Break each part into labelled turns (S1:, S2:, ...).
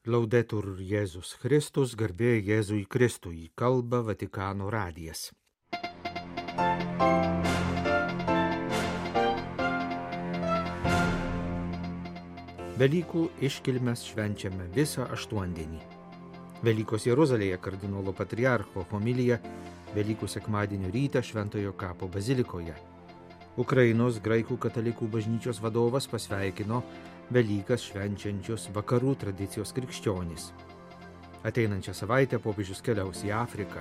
S1: Laudetur Jėzus Kristus, garbė Jėzui Kristui, kalba Vatikano radijas. Velykų iškilmes švenčiame visą aštuondienį. Velykos Jeruzalėje kardinolo patriarcho homilija Velykų sekmadienio rytą Šventojo kapo bazilikoje. Ukrainos graikų katalikų bažnyčios vadovas pasveikino Velykas švenčiančius vakarų tradicijos krikščionys. Ateinančią savaitę popiežius keliaus į Afriką.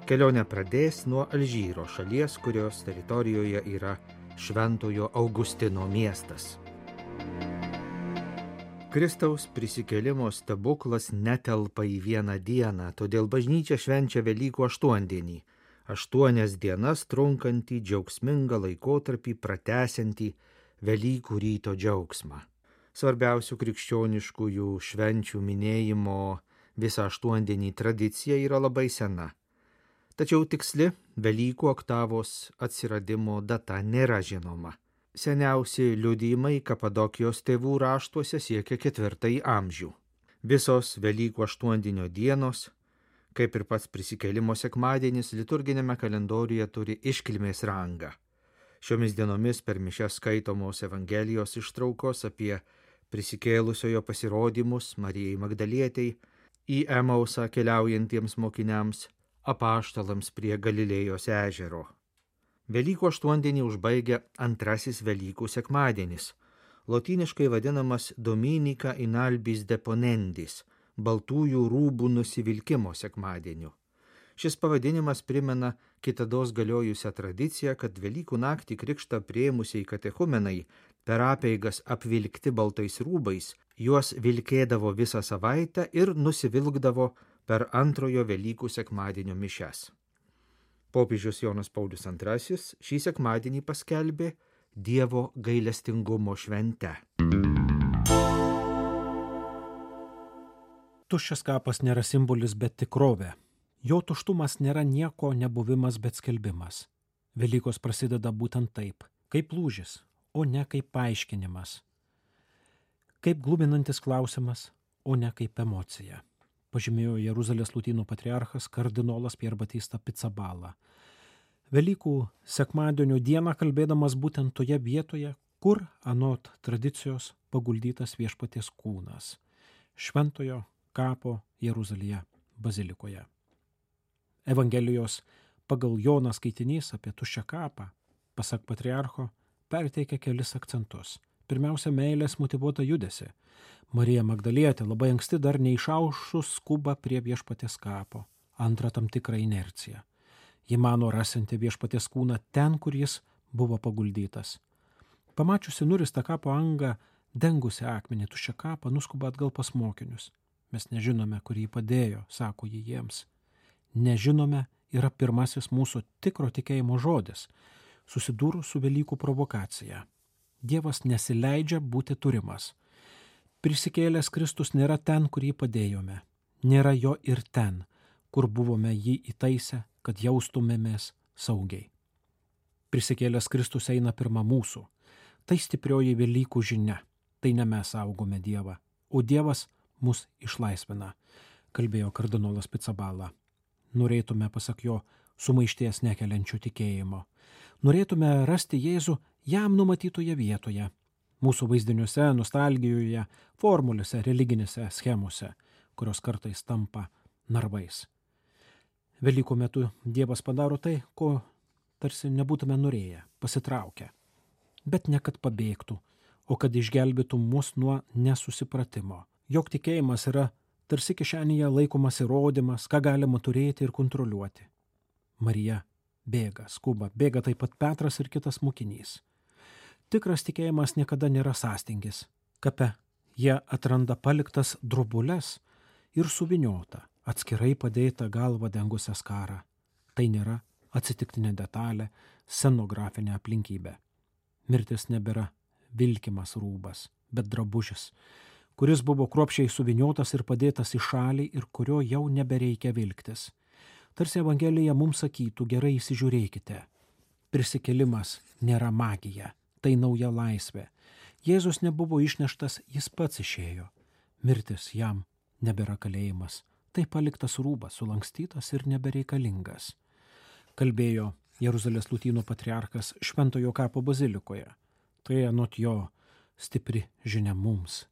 S1: Kelionę pradės nuo Alžyro, šalies, kurios teritorijoje yra Šventojo Augustino miestas. Kristaus prisikėlimo stebuklas netelpa į vieną dieną, todėl bažnyčia švenčia Velykų aštuondienį. 8 dienas trunkantį džiaugsmingą laikotarpį pratęsiantį Velykų ryto džiaugsmą. Svarbiausių krikščioniškųjų švenčių minėjimo visą aštuondienį tradicija yra labai sena. Tačiau tiksli Velykų oktavos atsiradimo data nėra žinoma. Seniausi liudijimai Kapadokijos tėvų raštuose siekia 4 amžių. Visos Velykų aštuondienio dienos, kaip ir pats prisikėlimo sekmadienis, liturginėme kalendoriuje turi iškilmės rangą. Šiomis dienomis per mišias skaitomos Evangelijos ištraukos apie prisikėlusiojo pasirodymus Marijai Magdalietei, į Emausą keliaujantiems mokiniams, apaštalams prie Galilėjos ežero. Velykų aštuondienį užbaigia antrasis Velykų sekmadienis, lotyniškai vadinamas Dominica in albis deponendis, baltųjų rūbų nusivilkimo sekmadieniu. Šis pavadinimas primena kitados galiojusią tradiciją, kad Velykų naktį krikštą priėmusiai katechumenai per apeigas apvilkti baltais rūbais, juos vilkėdavo visą savaitę ir nusivilkdavo per antrojo Velykų sekmadienio mišias. Popiežius Jonas Paulius II šį sekmadienį paskelbė Dievo gailestingumo švente.
S2: Tuščias kapas nėra simbolis, bet tikrovė. Jo tuštumas nėra nieko nebuvimas, bet skelbimas. Velykos prasideda būtent taip, kaip lūžis, o ne kaip paaiškinimas. Kaip gluminantis klausimas, o ne kaip emocija. Pažymėjo Jeruzalės lotynų patriarchas kardinolas Pier Batista Pizzaballa. Velykų sekmadienio dieną kalbėdamas būtent toje vietoje, kur anot tradicijos paguldytas viešpaties kūnas – Šventojo kapo Jeruzalėje bazilikoje. Evangelijos pagal Joną skaitinys apie tuščią kapą, pasak patriarcho, perteikia kelis akcentus. Pirmiausia, meilės motyvuota judesi. Marija Magdalietė labai anksti dar neišaušus skuba prie viešpaties kapo. Antra, tam tikra inercija. Ji mano rasinti viešpaties kūną ten, kur jis buvo paguldytas. Pamačiusi nuristą kapo angą, dengusi akmenį tuščią kapą, nuskuba atgal pas mokinius. Mes nežinome, kur jį padėjo, sako ji jiems. Nežinome yra pirmasis mūsų tikro tikėjimo žodis, susidūrus su Velykų provokacija. Dievas nesileidžia būti turimas. Prisikėlęs Kristus nėra ten, kur jį padėjome. Nėra jo ir ten, kur buvome jį įtaisę, kad jaustumėmės saugiai. Prisikėlęs Kristus eina pirma mūsų. Tai stiprioji Velykų žinia. Tai ne mes saugome Dievą, o Dievas mus išlaisvina, kalbėjo kardinolas Pizzaballa. Norėtume, pasak jo, sumaišties nekeliančių tikėjimo. Norėtume rasti Jėzų jam numatytoje vietoje, mūsų vaizdiniuose, nostalgijoje, formulėse, religinėse schemose, kurios kartais tampa narvais. Velykų metu Dievas padaro tai, ko tarsi nebūtume norėję, pasitraukę. Bet ne kad pabėgtų, o kad išgelbėtų mus nuo nesusipratimo. Jog tikėjimas yra tarsi kišenėje laikomas įrodymas, ką galima turėti ir kontroliuoti. Marija bėga, skuba, bėga taip pat Petras ir kitas mokinys. Tikras tikėjimas niekada nėra sąstingis. Kape jie atranda paliktas drobules ir suviniota, atskirai padėta galva dengusią skarą. Tai nėra atsitiktinė detalė, scenografinė aplinkybė. Mirtis nebėra vilkimas rūbas, bet drabužis, kuris buvo kruopščiai suviniotas ir padėtas į šalį ir kurio jau nebereikia vilktis. Tarsi Evangelija mums sakytų, gerai įsižiūrėkite. Prisikėlimas nėra magija, tai nauja laisvė. Jėzus nebuvo išneštas, jis pats išėjo. Mirtis jam nebėra kalėjimas, tai paliktas rūbas, sulankstytas ir nebereikalingas. Kalbėjo Jeruzalės Lotynų patriarchas Šventojo kapo bazilikoje. Tai anot jo stipri žinia mums,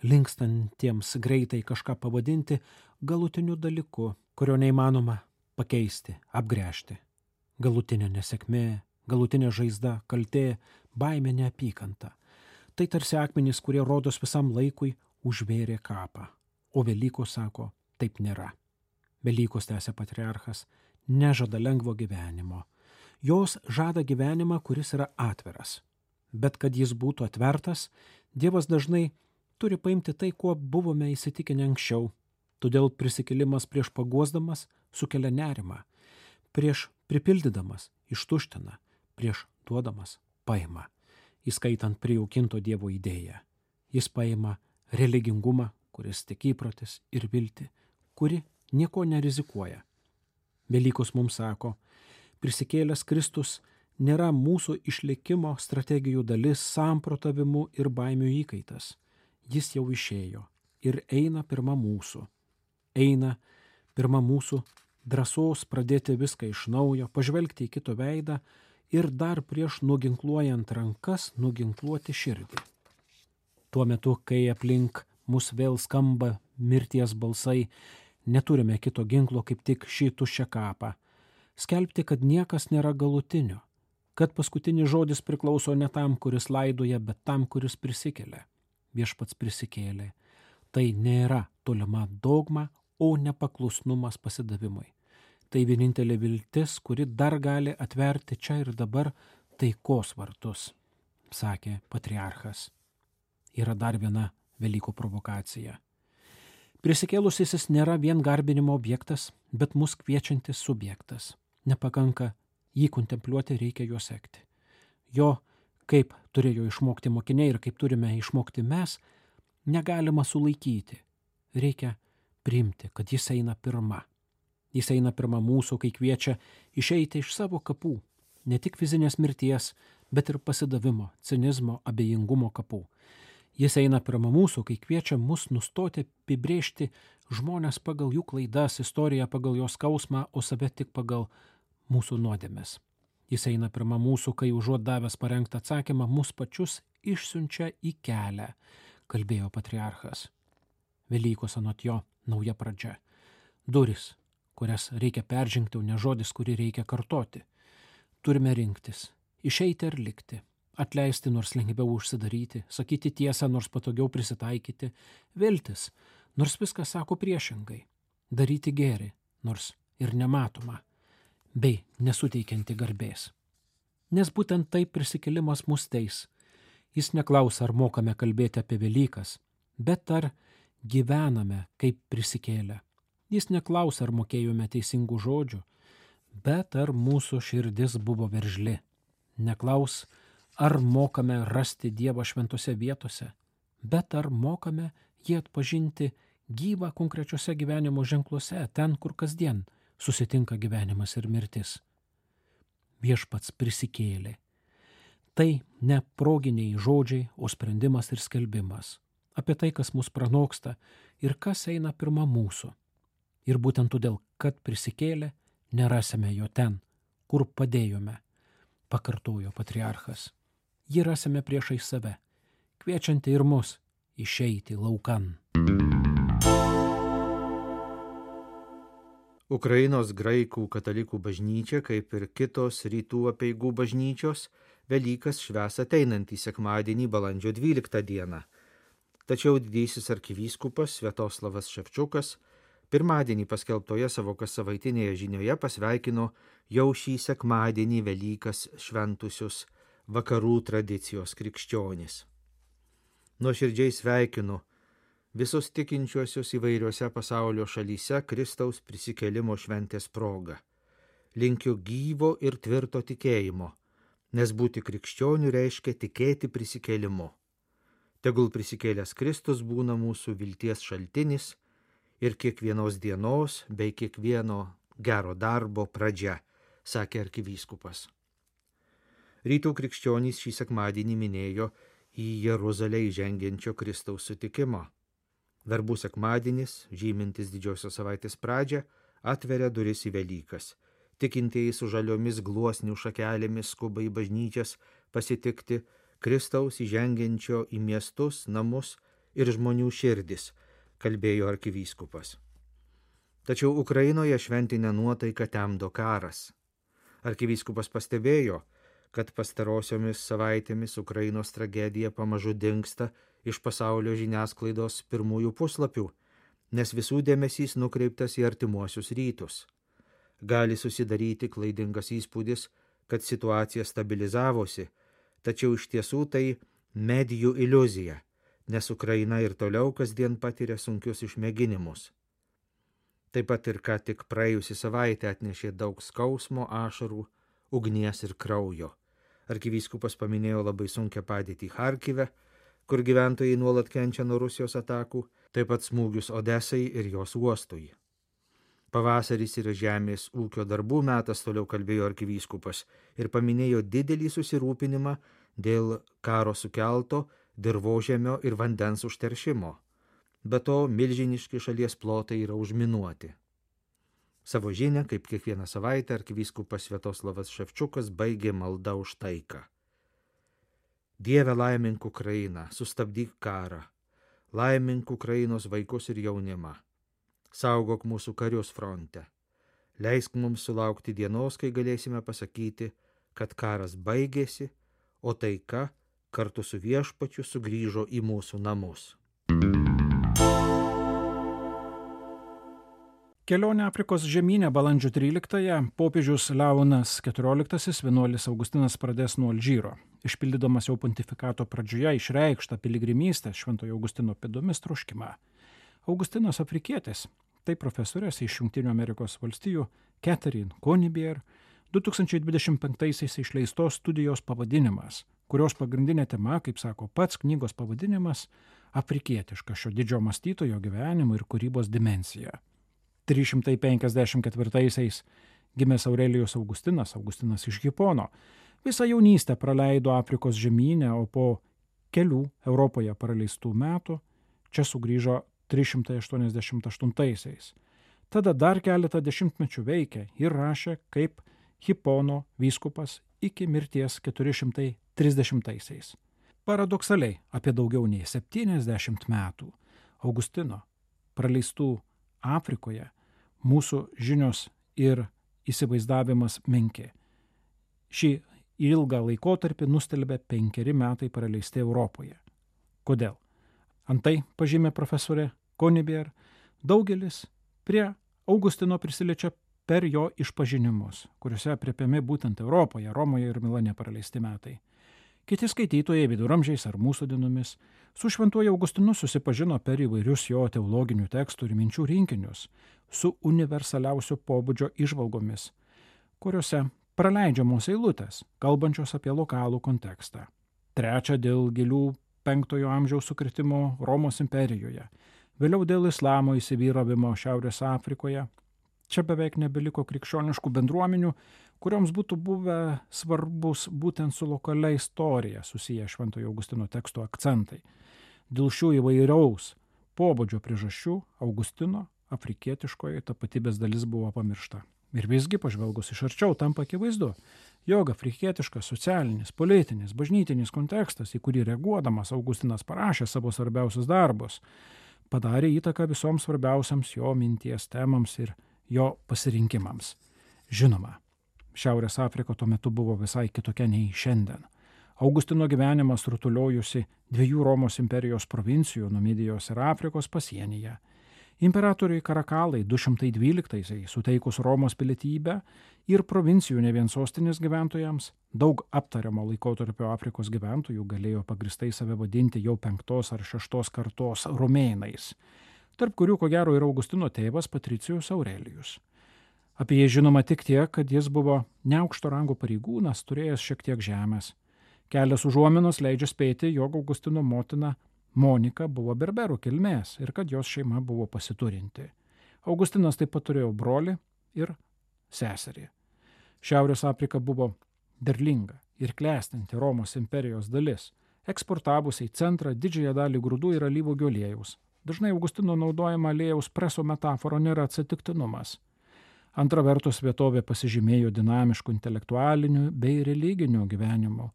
S2: linkstantiems greitai kažką pavadinti galutiniu dalyku, kurio neįmanoma pakeisti, apgręžti. Galutinė nesėkmė, galutinė žaizda, kaltė, baimė, neapykanta. Tai tarsi akmenys, kurie rodos visam laikui užvėrė kapą. O Velykos sako, taip nėra. Velykos, tęsė patriarchas, nežada lengvo gyvenimo. Jos žada gyvenimą, kuris yra atviras. Bet kad jis būtų atvertas, Dievas dažnai turi paimti tai, kuo buvome įsitikinę anksčiau. Todėl prisikėlimas prieš paguosdamas sukelia nerimą, prieš pripildydamas ištuština, prieš duodamas paima, įskaitant prijaukinto Dievo idėją. Jis paima religingumą, kuris tik įprotis, ir viltį, kuri nieko nerizikuoja. Velykos mums sako, prisikėlęs Kristus nėra mūsų išlikimo strategijų dalis, samprotavimų ir baimių įkaitas. Jis jau išėjo ir eina pirma mūsų. Eina pirma mūsų drąsos pradėti viską iš naujo, pažvelgti į kito veidą ir dar prieš nuginkluojant rankas nuginkluoti širdį. Tuo metu, kai aplink mus vėl skamba mirties balsai, neturime kito ginklo kaip tik šį tuščią kapą. Skelbti, kad niekas nėra galutinio, kad paskutinis žodis priklauso ne tam, kuris laidoja, bet tam, kuris prisikelia. Viešpats prisikėlė. Tai nėra tolima dogma, o nepaklusnumas pasidavimui. Tai vienintelė viltis, kuri dar gali atverti čia ir dabar taikos vartus, sakė patriarchas. Yra dar viena Velykų provokacija. Prisikėlusysis nėra vien garbinimo objektas, bet mus kviečiantis subjektas. Nepakanka jį kontempliuoti, reikia juo sekti. Jo, kaip turėjo išmokti mokiniai ir kaip turime išmokti mes, negalima sulaikyti. Reikia priimti, kad jis eina pirma. Jis eina pirma mūsų, kai kviečia išeiti iš savo kapų, ne tik fizinės mirties, bet ir pasidavimo, cinizmo, abejingumo kapų. Jis eina pirma mūsų, kai kviečia mus nustoti apibrėžti žmonės pagal jų klaidas, istoriją pagal jos skausmą, o save tik pagal mūsų nuodėmes. Jis eina pirma mūsų, kai užuot davęs parengtą atsakymą, mus pačius išsiunčia į kelią, kalbėjo patriarchas. Velykos anot jo nauja pradžia. Duris, kurias reikia peržengti, o ne žodis, kurį reikia kartoti. Turime rinktis, išeiti ar likti, atleisti nors lengviau užsidaryti, sakyti tiesą nors patogiau prisitaikyti, viltis, nors viskas sako priešingai, daryti gėrį, nors ir nematoma, bei nesuteikianti garbės. Nes būtent taip prisikėlimas mus teis. Jis neklausia, ar mokame kalbėti apie Velykas, bet ar gyvename kaip prisikėlę. Jis neklausia, ar mokėjome teisingų žodžių, bet ar mūsų širdis buvo veržli. Neklaus, ar mokame rasti Dievą šventose vietose, bet ar mokame jį atpažinti gyvą konkrečiose gyvenimo ženkluose, ten, kur kasdien susitinka gyvenimas ir mirtis. Viešpats prisikėlė. Tai ne proginiai žodžiai, o sprendimas ir skelbimas. Apie tai, kas mus pranoksta ir kas eina pirma mūsų. Ir būtent todėl, kad prisikėlė, nerasime jo ten, kur padėjome, pakartojo patriarchas. Jį rasime priešai save, kviečianti ir mus išeiti laukan.
S1: Ukrainos graikų katalikų bažnyčia, kaip ir kitos rytų apeigų bažnyčios, Velykas švęs ateinantį sekmadienį balandžio 12 dieną. Tačiau didysis arkivyskupas Sviatoslavas Ševčiukas pirmadienį paskelbtoje savo kassavaitinėje žinioje pasveikino jau šį sekmadienį Velykas šventusius vakarų tradicijos krikščionis. Nuoširdžiai sveikinu visus tikinčiuosius įvairiose pasaulio šalyse Kristaus prisikėlimo šventės proga. Linkiu gyvo ir tvirto tikėjimo, nes būti krikščioniu reiškia tikėti prisikėlimu. Tegul prisikėlęs Kristus būna mūsų vilties šaltinis ir kiekvienos dienos bei kiekvieno gero darbo pradžia, sakė arkivyskupas. Rytų krikščionys šį sekmadienį minėjo į Jeruzalę įžengiančio Kristaus sutikimą. Verbų sekmadienis, žymintis didžiosios savaitės pradžią, atveria duris į Velykas. Tikintieji su žaliomis gluosnių šakelėmis skuba į bažnyčias pasitikti Kristaus įžengiančio į miestus, namus ir žmonių širdis, kalbėjo arkivyskupas. Tačiau Ukrainoje šventinę nuotaiką temdo karas. Arkivyskupas pastebėjo, kad pastarosiomis savaitėmis Ukrainos tragedija pamažu dingsta iš pasaulio žiniasklaidos pirmųjų puslapių, nes visų dėmesys nukreiptas į artimuosius rytus. Gali susidaryti klaidingas įspūdis, kad situacija stabilizavosi, tačiau iš tiesų tai medijų iliuzija, nes Ukraina ir toliau kasdien patiria sunkius išmėginimus. Taip pat ir ką tik praėjusi savaitę atnešė daug skausmo, ašarų, ugnies ir kraujo. Arkivyskupas paminėjo labai sunkią padėtį Charkive, kur gyventojai nuolat kenčia nuo Rusijos atakų, taip pat smūgius Odesai ir jos uostui. Pavasaris yra žemės ūkio darbų metas, toliau kalbėjo arkivyskupas, ir paminėjo didelį susirūpinimą dėl karo sukelto dirvožemio ir vandens užteršimo. Be to, milžiniški šalies plotai yra užminuoti. Savo žinią, kaip kiekvieną savaitę, arkivyskupas Sviatoslavas Ševčiukas baigė maldą už taiką. Dieve, laimink Ukrainą, sustabdyk karą, laimink Ukrainos vaikus ir jaunimą, saugok mūsų karius fronte, leisk mums sulaukti dienos, kai galėsime pasakyti, kad karas baigėsi, o taika kartu su Viešpačiu sugrįžo į mūsų namus.
S2: Kelionė Afrikos žemyne balandžio 13-ąją popiežius Leonas XIV vienuolis Augustinas pradės nuo Alžyro, išpildydamas jau pontifikato pradžioje išreikštą piligrimystę Šventojo Augustino pėdomis troškimą. Augustinas afrikietis, tai profesorės iš Jungtinių Amerikos valstijų Catherine Conibier 2025-aisiais išleistos studijos pavadinimas, kurios pagrindinė tema, kaip sako pats knygos pavadinimas, afrikietiška šio didžio mąstytojo gyvenimo ir kūrybos dimensija. 354-aisiais gimęs Aurelijus Augustinas iš Hipono, visą jaunystę praleido Afrikos žemyne, o po kelių Europoje praleistų metų čia sugrįžo 388-aisiais. Tada dar keletą dešimtmečių veikė ir rašė kaip Hipono vyskupas iki mirties 430-aisiais. Paradoksaliai, apie daugiau nei 70 metų Augustino praleistų Afrikoje mūsų žinios ir įsivaizdavimas menki. Šį ilgą laikotarpį nustelbė 5 metai praleisti Europoje. Kodėl? Antai, pažymė profesorė Conibier, daugelis prie Augustino prisiliečia per jo išpažinimus, kuriuose aprėpiami būtent Europoje, Romoje ir Milane praleisti metai. Kiti skaitytojai viduramžiais ar mūsų dienomis su Šventuoju Augustinu susipažino per įvairius jo teologinių tekstų ir minčių rinkinius, su universaliausio pobūdžio įžvalgomis, kuriuose praleidžiamos eilutės, kalbančios apie lokalų kontekstą. Trečia, dėl gilių 5 amžiaus sukritimo Romos imperijoje, vėliau dėl islamo įsivyravimo Šiaurės Afrikoje. Čia beveik nebeliko krikščioniškų bendruomenių, kurioms būtų buvę svarbus būtent su lokalia istorija susiję Šventojo Augustino teksto akcentai. Dėl šių įvairiaus pobūdžio priežasčių Augustino afrikietiškoji tapatybės dalis buvo pamiršta. Ir visgi, pažvelgus iš arčiau, tampa akivaizdu, jog afrikietiškas socialinis, politinis, bažnytinis kontekstas, į kurį reaguodamas Augustinas parašė savo svarbiausius darbus, padarė įtaką visoms svarbiausiams jo minties temams ir jo pasirinkimams. Žinoma, Šiaurės Afrika tuo metu buvo visai kitokia nei šiandien. Augustino gyvenimas rutuliojusi 2 Romos imperijos provincijų Numidijos ir Afrikos pasienyje. Imperatoriui Karakalai 212-aisiais suteikus Romos pilietybę ir provincijų ne vien sostinės gyventojams, daug aptariamo laikotarpio Afrikos gyventojų galėjo pagristai save vadinti jau 5 ar 6 kartos romėnais, tarp kurių ko gero ir Augustino tėvas Patricijus Aurelijus. Apie jį žinoma tik tiek, kad jis buvo neaukšto rango pareigūnas, turėjęs šiek tiek žemės. Kelios užuominos leidžia spėti, jog Augustino motina Monika buvo berberų kilmės ir kad jos šeima buvo pasiturinti. Augustinas taip pat turėjo brolį ir seserį. Šiaurės Afrika buvo derlinga ir klestinti Romos imperijos dalis, eksportavusiai centrą didžiąją dalį grūdų ir alyvuogių aliejaus, Dažnai Augustino naudojama aliejaus preso metafora nėra atsitiktinumas. Antra vertus, vietovė pasižymėjo dinamišku intelektualiniu bei religiniu gyvenimu.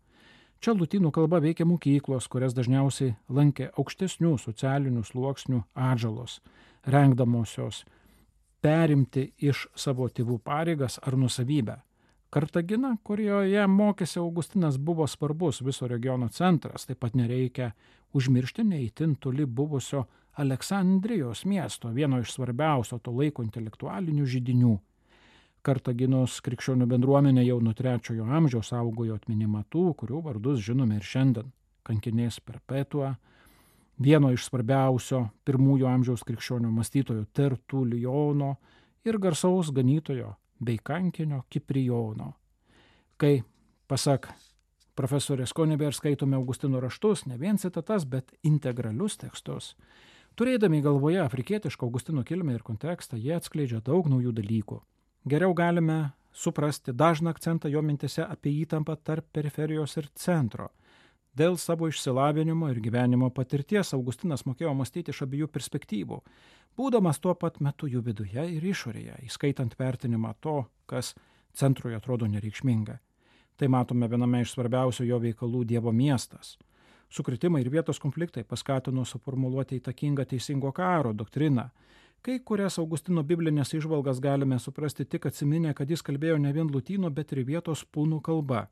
S2: Čia lotynų kalba veikia mokyklos, kurias dažniausiai lankė aukštesnių socialinių sluoksnių atžalos, rengdamosios perimti iš savo tėvų pareigas ar nusavybę. Kartagina, kurioje mokėsi Augustinas, buvo svarbus viso regiono centras, taip pat nereikia užmiršti neįtin toli buvusio Aleksandrijos miesto, vieno iš svarbiausio to laiko intelektualinių židinių. Kartaginos krikščionių bendruomenė jau nuo 3 amžiaus saugojo atminimą tų, kurių vardus žinome ir šiandien. Kankinės Perpetua, vieno iš svarbiausio 1 amžiaus krikščionių mąstytojo Tertulijono ir garsaus ganytojo bei kankinio Kiprijono. Kai, pasak profesorės Koniber, skaitome Augustino raštus, ne vien citatas, bet integralius tekstus, turėdami galvoje afrikietišką Augustino kilmę ir kontekstą, jie atskleidžia daug naujų dalykų. Geriau galime suprasti dažną akcentą jo mintise apie įtampą tarp periferijos ir centro. Dėl savo išsilavinimo ir gyvenimo patirties Augustinas mokėjo mąstyti iš abiejų perspektyvų, būdamas tuo pat metu jų viduje ir išorėje, įskaitant vertinimą to, kas centrui atrodo nereikšminga. Tai matome viename iš svarbiausių jo veikalų Dievo miestas. Sukritimai ir vietos konfliktai paskatino suformuluoti įtakingą teisingo karo doktriną. Kai kurias Augustino biblinės įžvalgas galime suprasti tik atsiminę, kad jis kalbėjo ne vien lotynų, bet ir vietos punų kalba.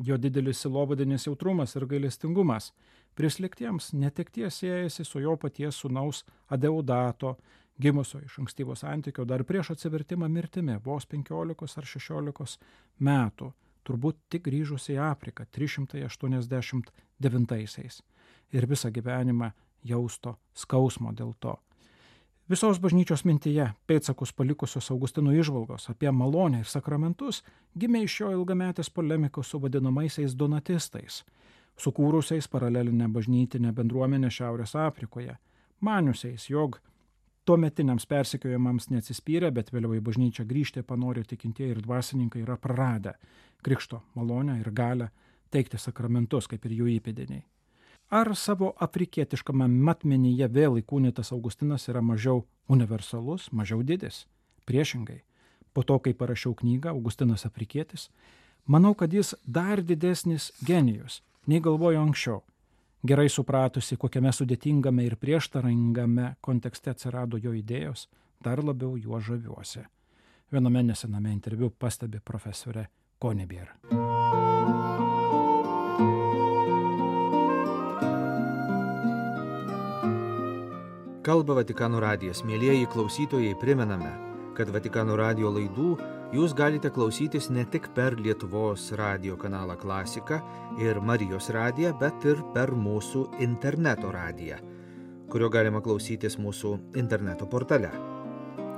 S2: Jo didelis silovadinis jautrumas ir gailestingumas prisliktiems netekties siejasi su jo paties sūnaus Adeudato, gimusio iš ankstyvo santykio dar prieš atsivertimą mirtimi, vos 15 ar 16 metų, turbūt tik grįžus į Afriką 389 ir visą gyvenimą jausto skausmo dėl to. Visos bažnyčios mintyje pėdsakus palikusios Augustino įžvalgos apie malonę ir sakramentus gimė iš jo ilgametės polemikos su vadinamaisiais donatistais, sukūrusiais paralelinę bažnytinę bendruomenę Šiaurės Afrikoje, maniusiais, jog tuometiniams persekiojimams neatsispyrę, bet vėliau į bažnyčią grįžti panorė tikintieji ir dvasininkai yra praradę krikšto malonę ir galią teikti sakramentus, kaip ir jų įpėdiniai. Ar savo afrikietiškame matmenyje vėl įkūnytas Augustinas yra mažiau universalus, mažiau didis? Priešingai, po to, kai parašiau knygą Augustinas afrikietis, manau, kad jis dar didesnis genijus, nei galvojo anksčiau. Gerai supratusi, kokiame sudėtingame ir prieštaringame kontekste atsirado jo idėjos, dar labiau juo žaviuosi. Viename nesename interviu pastebi profesorė Koniber.
S1: Kalba Vatikano radijas. Mielieji klausytojai, primename, kad Vatikano radijo laidų jūs galite klausytis ne tik per Lietuvos radijo kanalą Klasika ir Marijos radiją, bet ir per mūsų interneto radiją, kurio galima klausytis mūsų interneto portale.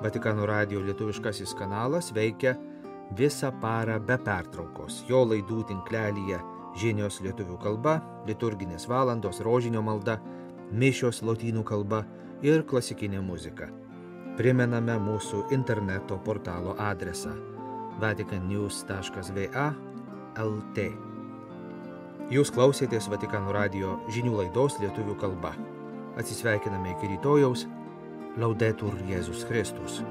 S1: Vatikano radijo lietuviškasis kanalas veikia visą parą be pertraukos. Jo laidų tinklelyje žinios lietuvių kalba, liturginės valandos, rožinio malda, mišios lotynų kalba ir klasikinė muzika. Primename mūsų interneto portalo adresą vaticannews.va/lt. Jūs klausėtės Vatikano radijo žinių laidos lietuvių kalba. Atsisveikiname iki rytojaus. Laudetur Jėzus Kristus.